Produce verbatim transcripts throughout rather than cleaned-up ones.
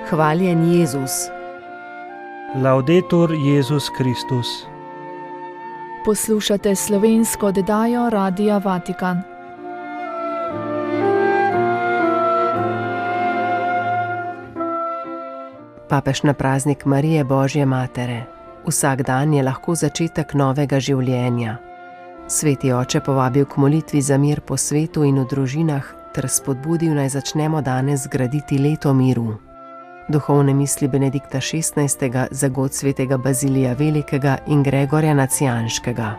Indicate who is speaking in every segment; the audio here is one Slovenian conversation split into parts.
Speaker 1: Hvaljen Jezus.
Speaker 2: Laudetur Jezus Kristus.
Speaker 3: Poslušate slovensko oddajo Radia Vatikan.
Speaker 1: Papež na praznik Marije Božje Matere. Vsak dan je lahko začetek novega življenja. Sveti oče povabil k molitvi za mir po svetu in v družinah ter spodbudil, naj začnemo danes graditi leto miru. Duhovne misli Benedikta šestnajstega za god svetega Bazilija Velikega in Gregorja Nacijanškega.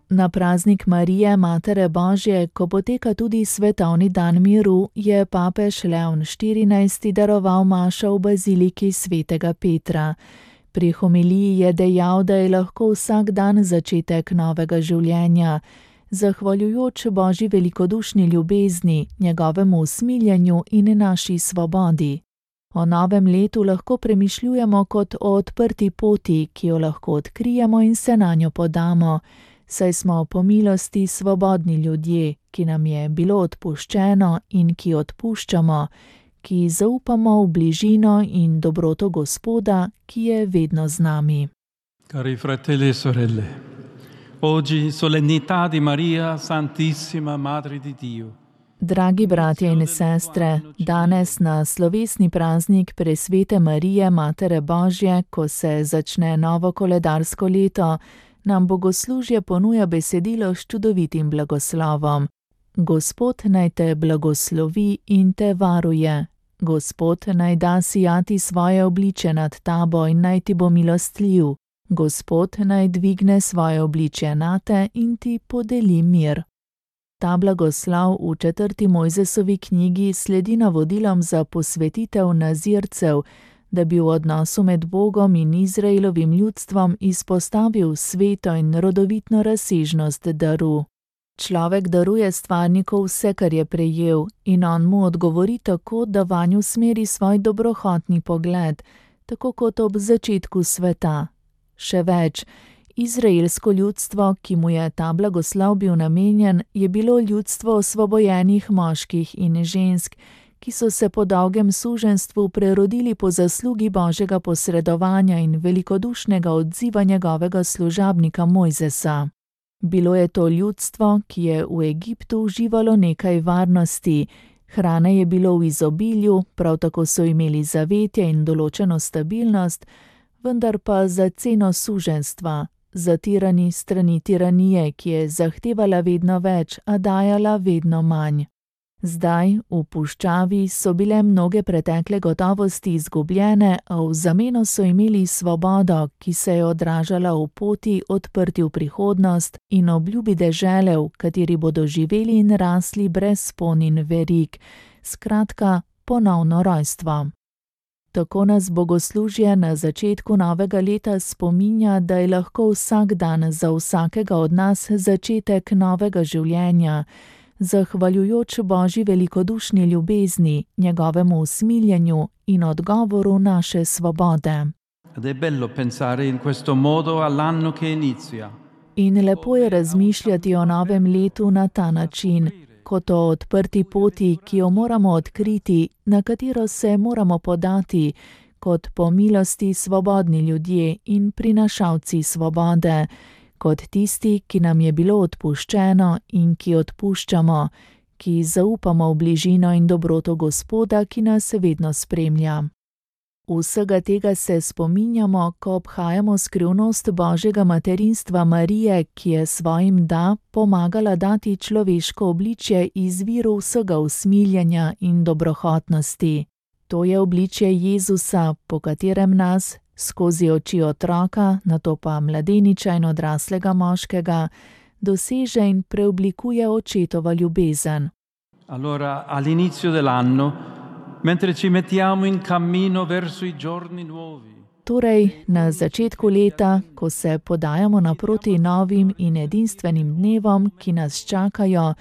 Speaker 3: Na praznik Marije Matere Božje, ko poteka tudi svetovni dan miru, je papež Leon štirinajsti daroval mašo v baziliki svetega Petra. Pri homiliji je dejal, da je lahko vsak dan začetek novega življenja, zahvaljujoč Božji velikodušni ljubezni, njegovemu usmiljenju in naši svobodi. O novem letu lahko premišljujemo kot o odprti poti, ki jo lahko odkrijemo in se nanjo podamo, saj smo po milosti svobodni ljudje, ki nam je bilo odpuščeno in ki odpuščamo, ki zaupamo v bližino in dobroto Gospoda, ki je vedno z nami.
Speaker 4: Cari fratelli e sorelle, oggi solennità di Maria Santissima Madre di Dio.
Speaker 3: Dragi bratje in sestre, danes na slovesni praznik presvete Marije Matere Božje, ko se začne novo koledarsko leto, nam bogoslužje ponuja besedilo s čudovitim blagoslovom. Gospod naj te blagoslovi in te varuje. Gospod naj da sijati svoje obliče nad tabo in naj ti bo milostljiv. Gospod naj dvigne svoje obličje nate in ti podeli mir. Ta blagoslov v četrti Mojzesovi knjigi sledi navodilom za posvetitev nazircev, da bi v odnosu med Bogom in Izraelovim ljudstvom izpostavil sveto in rodovitno razsežnost daru. Človek daruje stvarniku vse, kar je prejel, in on mu odgovori tako, da vanj usmeri svoj dobrohotni pogled, tako kot ob začetku sveta. Še več, izraelsko ljudstvo, ki mu je ta blagoslov bil namenjen, je bilo ljudstvo osvobojenih moških in žensk, ki so se po dolgem suženjstvu prerodili po zaslugi Božjega posredovanja in velikodušnega odziva njegovega služabnika Mojzesa. Bilo je to ljudstvo, ki je v Egiptu uživalo nekaj varnosti, hrane je bilo v izobilju, prav tako so imeli zavetje in določeno stabilnost, vendar pa za ceno suženjstva, zatirani strani tiranije, ki je zahtevala vedno več, a dajala vedno manj. Zdaj, v puščavi, so bile mnoge pretekle gotovosti izgubljene, a v zameno so imeli svobodo, ki se je odražala v poti odprti v prihodnost in obljubi dežele, v kateri bodo živeli in rasli brez spon in verig, skratka ponovno rojstvo. Tako nas bogoslužje na začetku novega leta spominja, da je lahko vsak dan za vsakega od nas začetek novega življenja, zahvaljujoč Božji velikodušni ljubezni, njegovemu usmiljenju in odgovoru naše svobode.
Speaker 4: Ed è bello pensare in questo modo all'anno che inizia.
Speaker 3: In lepo je razmišljati o novem letu na ta način, kot o odprti poti, ki jo moramo odkriti, na katero se moramo podati, kot po milosti svobodni ljudje in prinašalci svobode, kot tisti, ki nam je bilo odpuščeno in ki odpuščamo, ki zaupamo v bližino in dobroto Gospoda, ki nas vedno spremlja. Vsega tega se spominjamo, ko obhajamo skrivnost Božjega materinstva Marije, ki je svojim da pomagala dati človeško obličje izviru vsega usmiljenja in dobrohotnosti. To je obličje Jezusa, po katerem nas, skozi oči otroka, nato pa mladeniča in odraslega moškega, doseže in preoblikuje očetova ljubezen.
Speaker 4: Allora, all'inizio dell'anno, mentre ci mettiamo in cammino verso i giorni nuovi.
Speaker 3: Torej, na začetku leta, ko se podajamo naproti novim in edinstvenim dnevom, ki nas čakajo,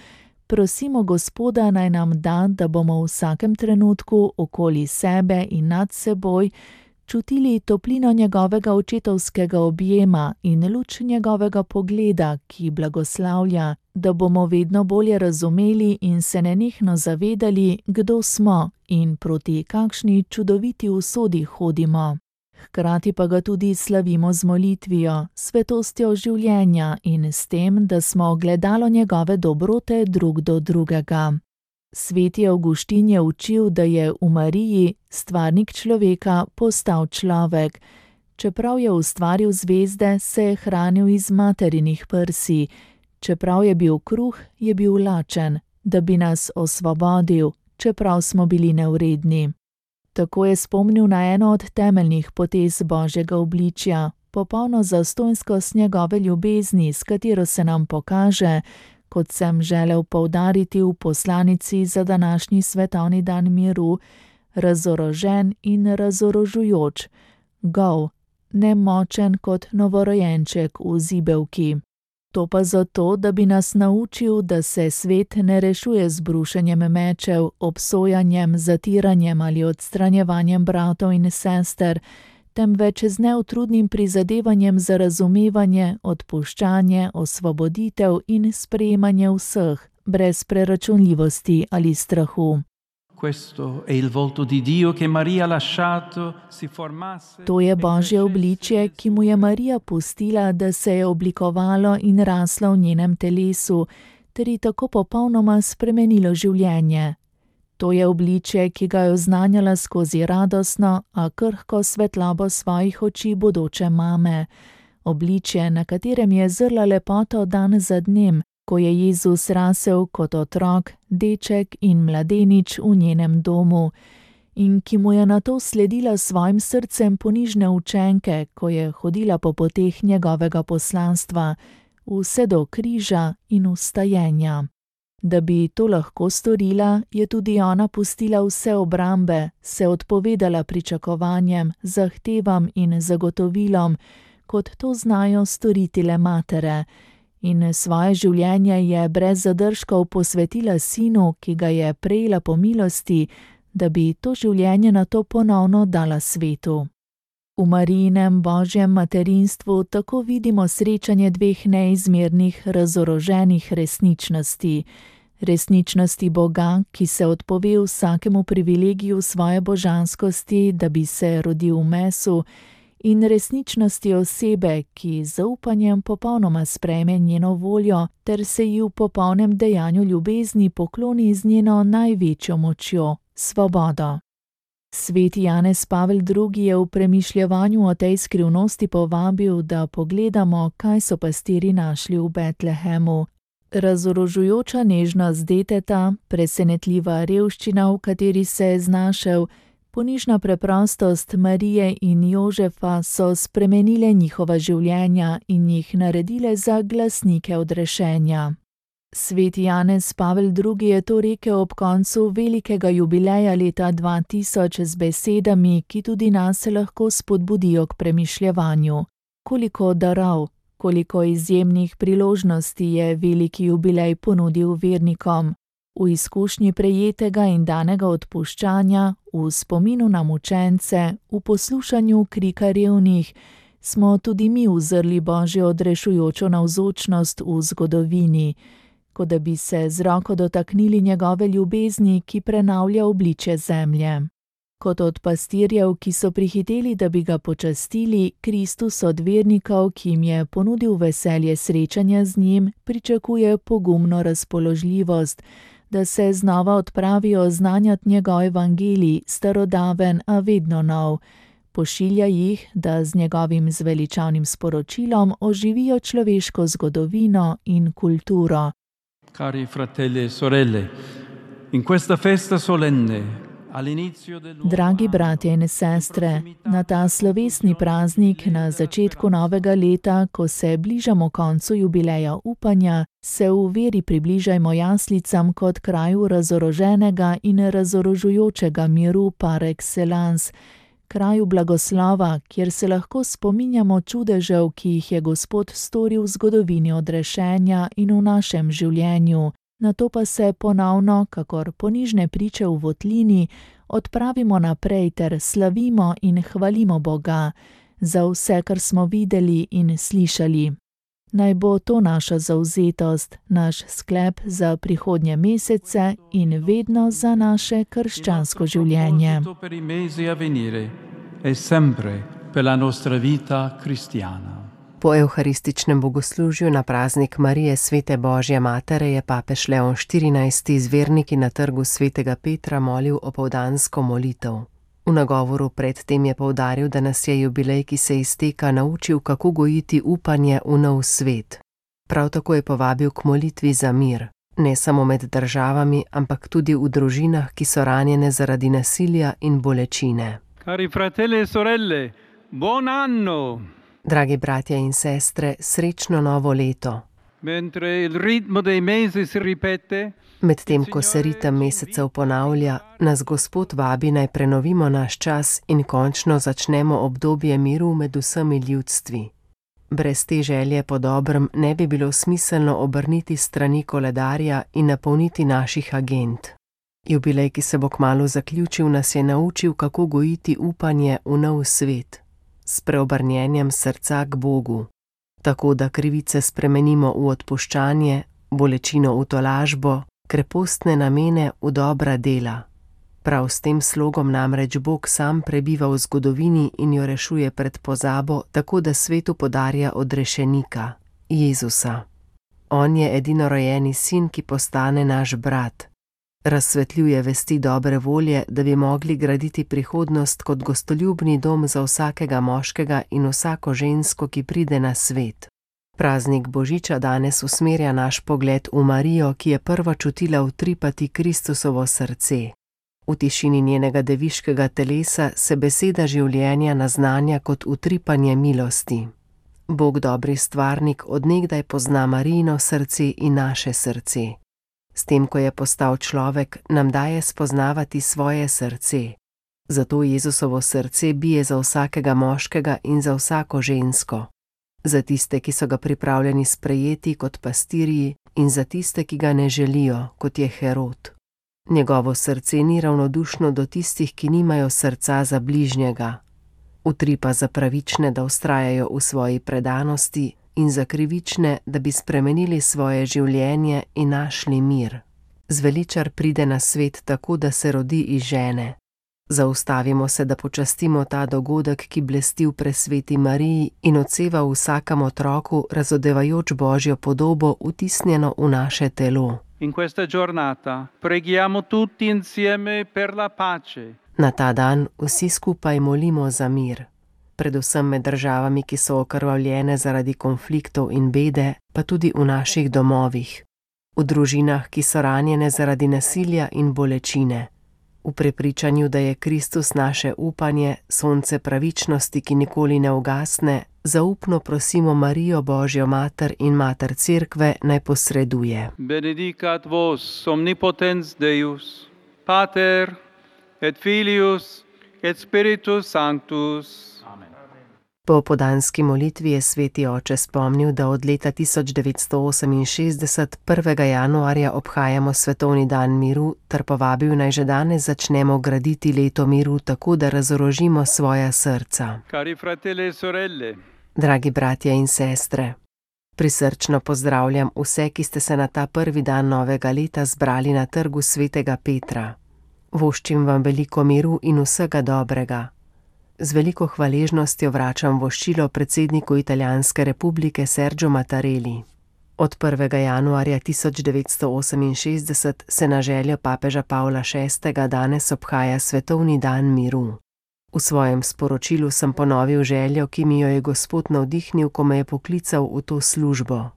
Speaker 3: prosimo Gospoda naj nam da, da bomo v vsakem trenutku okoli sebe in nad seboj čutili toplino njegovega očetovskega objema in luč njegovega pogleda, ki blagoslavlja, da bomo vedno bolje razumeli in se nenehno zavedali, kdo smo in proti kakšni čudoviti usodi hodimo. Hkrati pa ga tudi slavimo z molitvijo, svetostjo življenja in s tem, da smo ogledalo njegove dobrote drug do drugega. Sveti Avguštin je učil, da je v Mariji stvarnik človeka postal človek. Čeprav je ustvaril zvezde, se je hranil iz materinih prsi. Čeprav je bil kruh, je bil lačen, da bi nas osvobodil, čeprav smo bili nevredni. Tako je spomnil na eno od temeljnih potez Božjega obličja, popolno zastonjskost njegove ljubezni, s katero se nam pokaže, kot sem želel poudariti v poslanici za današnji svetovni dan miru, razorožen in razorožujoč, gol, nemočen kot novorojenček v zibelki. To pa zato, da bi nas naučil, da se svet ne rešuje z brušenjem mečev, obsojanjem, zatiranjem ali odstranjevanjem bratov in sester, temveč z neutrudnim prizadevanjem za razumevanje, odpuščanje, osvoboditev in sprejemanje vseh, brez preračunljivosti ali strahu. To je Božje obličje, ki mu je Marija pustila, da se je oblikovalo in raslo v njenem telesu, ter ji tako popolnoma spremenilo življenje. To je obličje, ki ga je oznanjala skozi radostno, a krhko svetlobo svojih oči bodoče mame. Obličje, na katerem je zrla lepoto dan za dnem, ko je Jezus rasel kot otrok, deček in mladenič v njenem domu, in ki mu je nato sledila svojim srcem ponižne učenke, ko je hodila po poteh njegovega poslanstva, vse do križa in vstajenja. Da bi to lahko storila, je tudi ona pustila vse obrambe, se odpovedala pričakovanjem, zahtevam in zagotovilom, kot to znajo storiti le matere, in svoje življenje je brez zadržkov posvetila sinu, ki ga je prejela po milosti, da bi to življenje nato ponovno dala svetu. V Marijinem Božjem materinstvu tako vidimo srečanje dveh neizmernih, razoroženih resničnosti. Resničnosti Boga, ki se odpove vsakemu privilegiju svoje božanskosti, da bi se rodil v mesu, in resničnosti osebe, ki z zaupanjem popolnoma sprejme njeno voljo ter se ji v popolnem dejanju ljubezni pokloni z njeno največjo močjo, svobodo. Sveti Janez Pavel drugi je v premišljevanju o tej skrivnosti povabil, da pogledamo, kaj so pastirji našli v Betlehemu. Razorožujoča nežnost deteta, presenetljiva revščina, v kateri se je znašel, ponižna preprostost Marije in Jožefa so spremenile njihova življenja in jih naredile za glasnike odrešenja. Sveti Janez Pavel drugi je to rekel ob koncu velikega jubileja leta dva tisoč z besedami, ki tudi nas lahko spodbudijo k premišljevanju. Koliko darov, koliko izjemnih priložnosti je veliki jubilej ponudil vernikom. V izkušnji prejetega in danega odpuščanja, v spominu na mučence, v poslušanju krika revnih, smo tudi mi uzrli Božjo odrešujočo navzočnost v zgodovini, kot da bi se z roko dotaknili njegove ljubezni, ki prenavlja obličje zemlje. Kot od pastirjev, ki so prihiteli, da bi ga počastili, Kristus od vernikov, ki jim je ponudil veselje srečanja z njim, pričakuje pogumno razpoložljivost, da se znova odpravijo znanjati njegov evangelij, starodaven, a vedno nov. Pošilja jih, da z njegovim zveličavnim sporočilom oživijo človeško zgodovino in kulturo.
Speaker 4: Cari fratelli e sorelle, in questa festa solenne,
Speaker 3: Dragi bratje in sestre, na ta slovesni praznik na začetku novega leta, ko se bližamo koncu jubileja upanja, se v veri približajmo jaslicam kot kraju razoroženega in razorožujočega miru par excellence, kraju blagoslova, kjer se lahko spominjamo čudežev, ki jih je Gospod storil v zgodovini odrešenja in v našem življenju, Nato pa se ponovno, kakor ponižne priče v votlini, odpravimo naprej ter slavimo in hvalimo Boga za vse, kar smo videli in slišali. Naj bo to naša zavzetost, naš sklep za prihodnje mesece in vedno za naše krščansko življenje.
Speaker 1: Po evharističnem bogoslužju na praznik Marije svete Božje matere je papež Leon štirinajsti z verniki na trgu svetega Petra molil opoldansko molitev. V nagovoru predtem je poudaril, da nas je jubilej, ki se izteka, naučil, kako gojiti upanje v nov svet. Prav tako je povabil k molitvi za mir, ne samo med državami, ampak tudi v družinah, ki so ranjene zaradi nasilja in bolečine.
Speaker 4: Cari fratelli e sorelle, buon anno!
Speaker 1: Dragi bratje in sestre, srečno novo leto.
Speaker 4: Mentre il ritmo dei mesi si ripete,
Speaker 1: Medtem ko se ritem mesecev ponavlja, nas Gospod vabi naj prenovimo naš čas in končno začnemo obdobje miru med vsemi ljudstvi. Brez te želje po dobrem ne bi bilo smiselno obrniti strani koledarja in napolniti naših agend. Jubilej, ki se bo kmalu zaključil, nas je naučil, kako gojiti upanje v nov svet, s preobrnjenjem srca k Bogu, tako da krivice spremenimo v odpuščanje, bolečino v tolažbo, krepostne namene v dobra dela. Prav s tem slogom namreč Bog sam prebiva v zgodovini in jo rešuje pred pozabo, tako da svetu podarja odrešenika, Jezusa. On je edinorojeni sin, ki postane naš brat. Razsvetljuje vesti dobre volje, da bi mogli graditi prihodnost kot gostoljubni dom za vsakega moškega in vsako žensko, ki pride na svet. Praznik Božiča danes usmerja naš pogled v Marijo, ki je prva čutila utripati Kristusovo srce. V tišini njenega deviškega telesa se beseda življenja naznanja kot utripanje milosti. Bog dobri stvarnik od nekdaj pozna Marijino srce in naše srce. S tem, ko je postal človek, nam daje spoznavati svoje srce. Zato Jezusovo srce bije za vsakega moškega in za vsako žensko. Za tiste, ki so ga pripravljeni sprejeti kot pastirji, in za tiste, ki ga ne želijo, kot je Herod. Njegovo srce ni ravnodušno do tistih, ki nimajo srca za bližnjega. Utripa za pravične, da vztrajajo v svoji predanosti, in za krivične, da bi spremenili svoje življenje in našli mir. Zveličar pride na svet tako, da se rodi iz žene. Zaustavimo se, da počastimo ta dogodek, ki blesti v presveti Mariji in odseva v vsakem otroku, razodevajoč Božjo podobo, vtisnjeno v naše telo.
Speaker 4: in questa giornata preghiamo tutti insieme per la pace.
Speaker 1: Na ta dan vsi skupaj molimo za mir. Predvsem med državami, ki so okrvavljene zaradi konfliktov in bede, pa tudi v naših domovih. V družinah, ki so ranjene zaradi nasilja in bolečine. V prepričanju, da je Kristus naše upanje, sonce pravičnosti, ki nikoli ne ugasne, zaupno prosimo Marijo Božjo mater in mater Cerkve, naj posreduje.
Speaker 4: Benedicat vos omnipotens Deus, Pater et Filius et Spiritus Sanctus.
Speaker 1: Po opoldanski molitvi je sveti oče spomnil, da od leta tisoč devetsto oseminšestdeset prvega januarja obhajamo svetovni dan miru, ter povabil naj že danes začnemo graditi leto miru tako, da razorožimo svoja srca.
Speaker 4: Cari fratelli e sorelle,
Speaker 1: Dragi bratje in sestre, prisrčno pozdravljam vse, ki ste se na ta prvi dan novega leta zbrali na trgu svetega Petra. Voščim vam veliko miru in vsega dobrega. Z veliko hvaležnostjo vračam voščilo predsedniku Italijanske republike Sergio Mattarelli. Od prvega januarja tisoč devetsto oseminšestdeset se na željo papeža Pavla šestega danes obhaja svetovni dan miru. V svojem sporočilu sem ponovil željo, ki mi jo je Gospod navdihnil, ko me je poklical v to službo.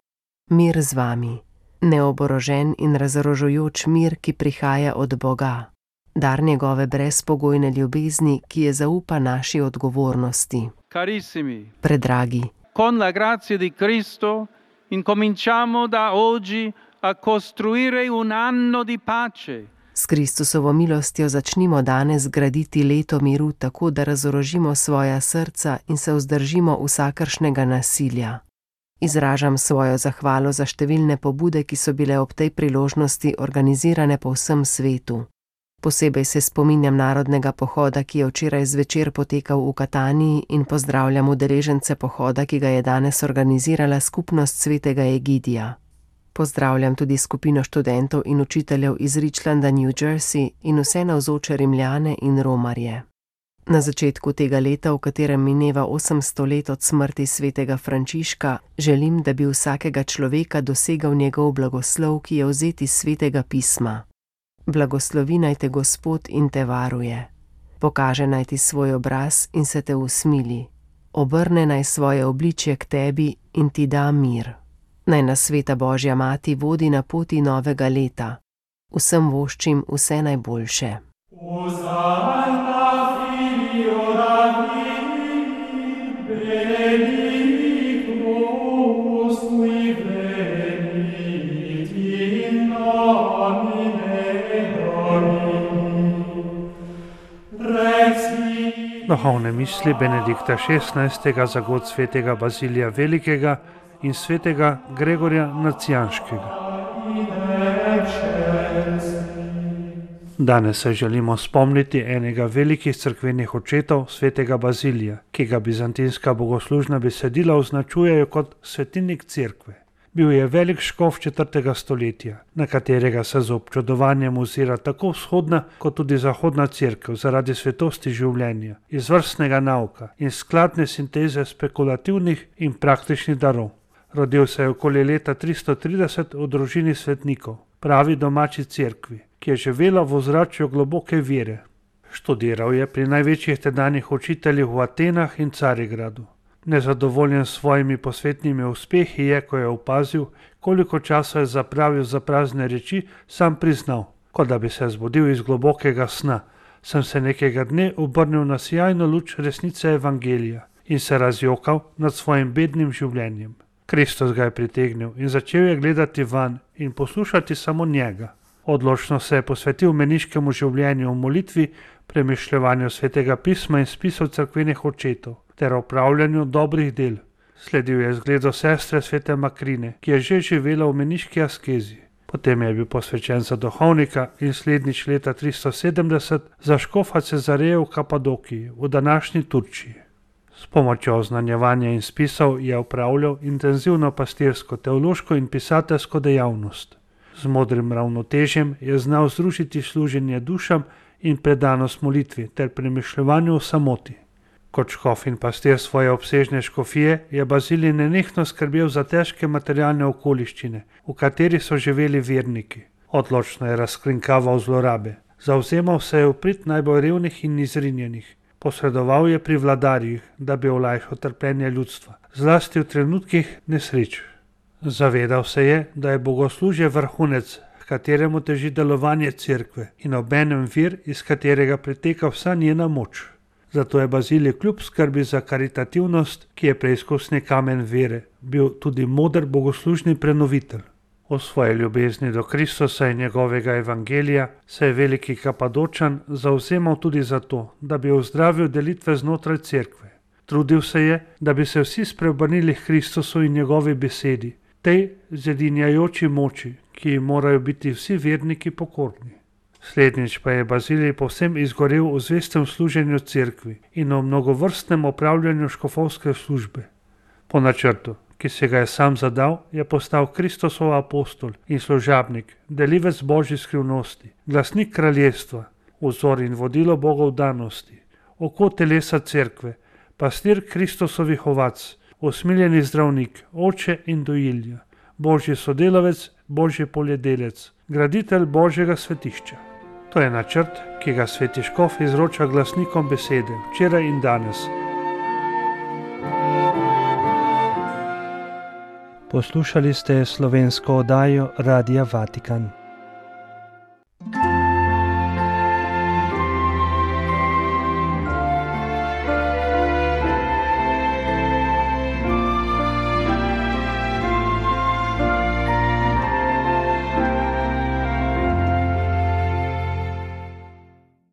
Speaker 1: Mir z vami, neoborožen in razorožujoč mir, ki prihaja od Boga. Dar njegove brezpogojne ljubezni, ki je zaupa naši odgovornosti.
Speaker 4: carissimi,
Speaker 1: Predragi,
Speaker 4: con la grazia di Cristo incominciamo da oggi a costruire un anno di pace.
Speaker 1: s Kristusovo milostjo začnimo danes graditi leto miru tako, da razorožimo svoja srca in se vzdržimo vsakršnega nasilja. Izražam svojo zahvalo za številne pobude, ki so bile ob tej priložnosti organizirane po vsem svetu. Posebej se spominjam narodnega pohoda, ki je včeraj zvečer potekal v Kataniji, in pozdravljam udeležence pohoda, ki ga je danes organizirala skupnost svetega Egidija. Pozdravljam tudi skupino študentov in učiteljev iz Richlanda, New Jersey, in vse navzoče Rimljane in Romarje. Na začetku tega leta, v katerem mineva osemsto let od smrti svetega Frančiška, želim, da bi vsakega človeka dosegal njegov blagoslov, ki je vzet iz svetega pisma. Blagoslovi naj te Gospod in te varuje. Pokaže naj ti svoj obraz in se te usmili. Obrne naj svoje obličje k tebi in ti da mir. Naj nas sveta Božja mati vodi na poti novega leta. Vsem voščim vse najboljše.
Speaker 2: Duhovne misli Benedikta šestnajstega za god svetega Bazilija Velikega in svetega Gregorja Nacijanškega. Danes se želimo spomniti enega velikih cerkvenih očetov, svetega Bazilija, ki ga bizantinska bogoslužna besedila označujejo kot svetilnik cerkve. Bil je velik škof četrtega stoletja, na katerega se z občudovanjem ozira tako vzhodna kot tudi zahodna cerkev zaradi svetosti življenja, izvrstnega nauka in skladne sinteze spekulativnih in praktičnih darov. Rodil se je okoli leta tristo trideset v družini svetnikov, pravi domači cerkvi, ki je živela v ozračju globoke vere. Študiral je pri največjih tedanjih učiteljih v Atenah in Carigradu. Nezadovoljen s svojimi posvetnimi uspehi je, ko je opazil, koliko časa je zapravil za prazne reči, sam priznal, kot da bi se zbudil iz globokega sna. Sem se nekega dne obrnil na sijajno luč resnice evangelija in se razjokal nad svojim bednim življenjem. Kristus ga je pritegnil in začel je gledati van in poslušati samo njega. Odločno se je posvetil meniškemu življenju v molitvi, premišljevanju svetega pisma in spisov cerkvenih očetov ter opravljanju dobrih del. Sledil je zgledu sestre svete Makrine, ki je že živela v meniški askezi. Potem je bil posvečen za duhovnika in slednjič leta tristo sedemdeset za škofa Cezareja v Kapadokiji, v današnji Turčiji. S pomočjo oznanjevanja in spisov je opravljal intenzivno pastirsko, teološko in pisateljsko dejavnost. Z modrim ravnotežjem je znal združiti služenje dušam in predanost molitvi ter premišljevanju o samoti. Kot škof in pastir svoje obsežne škofije je Bazilij nenehno skrbel za težke materialne okoliščine, v kateri so živeli verniki. Odločno je razkrinkaval zlorabe. Zavzemal se je v prid najbolj revnih in izrinjenih. Posredoval je pri vladarjih, da bi olajšal trpljenje ljudstva, zlasti v trenutkih nesreč. Zavedal se je, da je bogoslužje vrhunec, h kateremu teži delovanje cerkve in obenem vir, iz katerega priteka vsa njena moč. Zato je Bazilij kljub skrbi za karitativnost, ki je preizkusni kamen vere, bil tudi moder bogoslužni prenovitelj. O svoji ljubezni do Kristusa in njegovega evangelija se je veliki Kapadočan zavzemal tudi zato, da bi ozdravil delitve znotraj cerkve. Trudil se je, da bi se vsi spreobrnili k Kristusu in njegovi besedi, tej zedinjajoči moči, ki ji morajo biti vsi verniki pokorni. Slednjič pa je Bazilij povsem izgorel v zvestem služenju cerkvi in v mnogovrstnem opravljanju škofovske službe. Po načrtu, ki se ga je sam zadal, je postal Kristusov apostol in služabnik, delivec Božjih skrivnosti, glasnik kraljestva, vzor in vodilo Bogov danosti, oko telesa cerkve, pastir Kristusovih ovac, usmiljeni zdravnik, oče in dojilja, Božji sodelavec, Božji poljedelec, graditelj Božjega svetišča. To je načrt, ki ga sveti škof izroča glasnikom besede, včeraj in danes.
Speaker 5: Poslušali ste slovensko oddajo Radia Vatikan.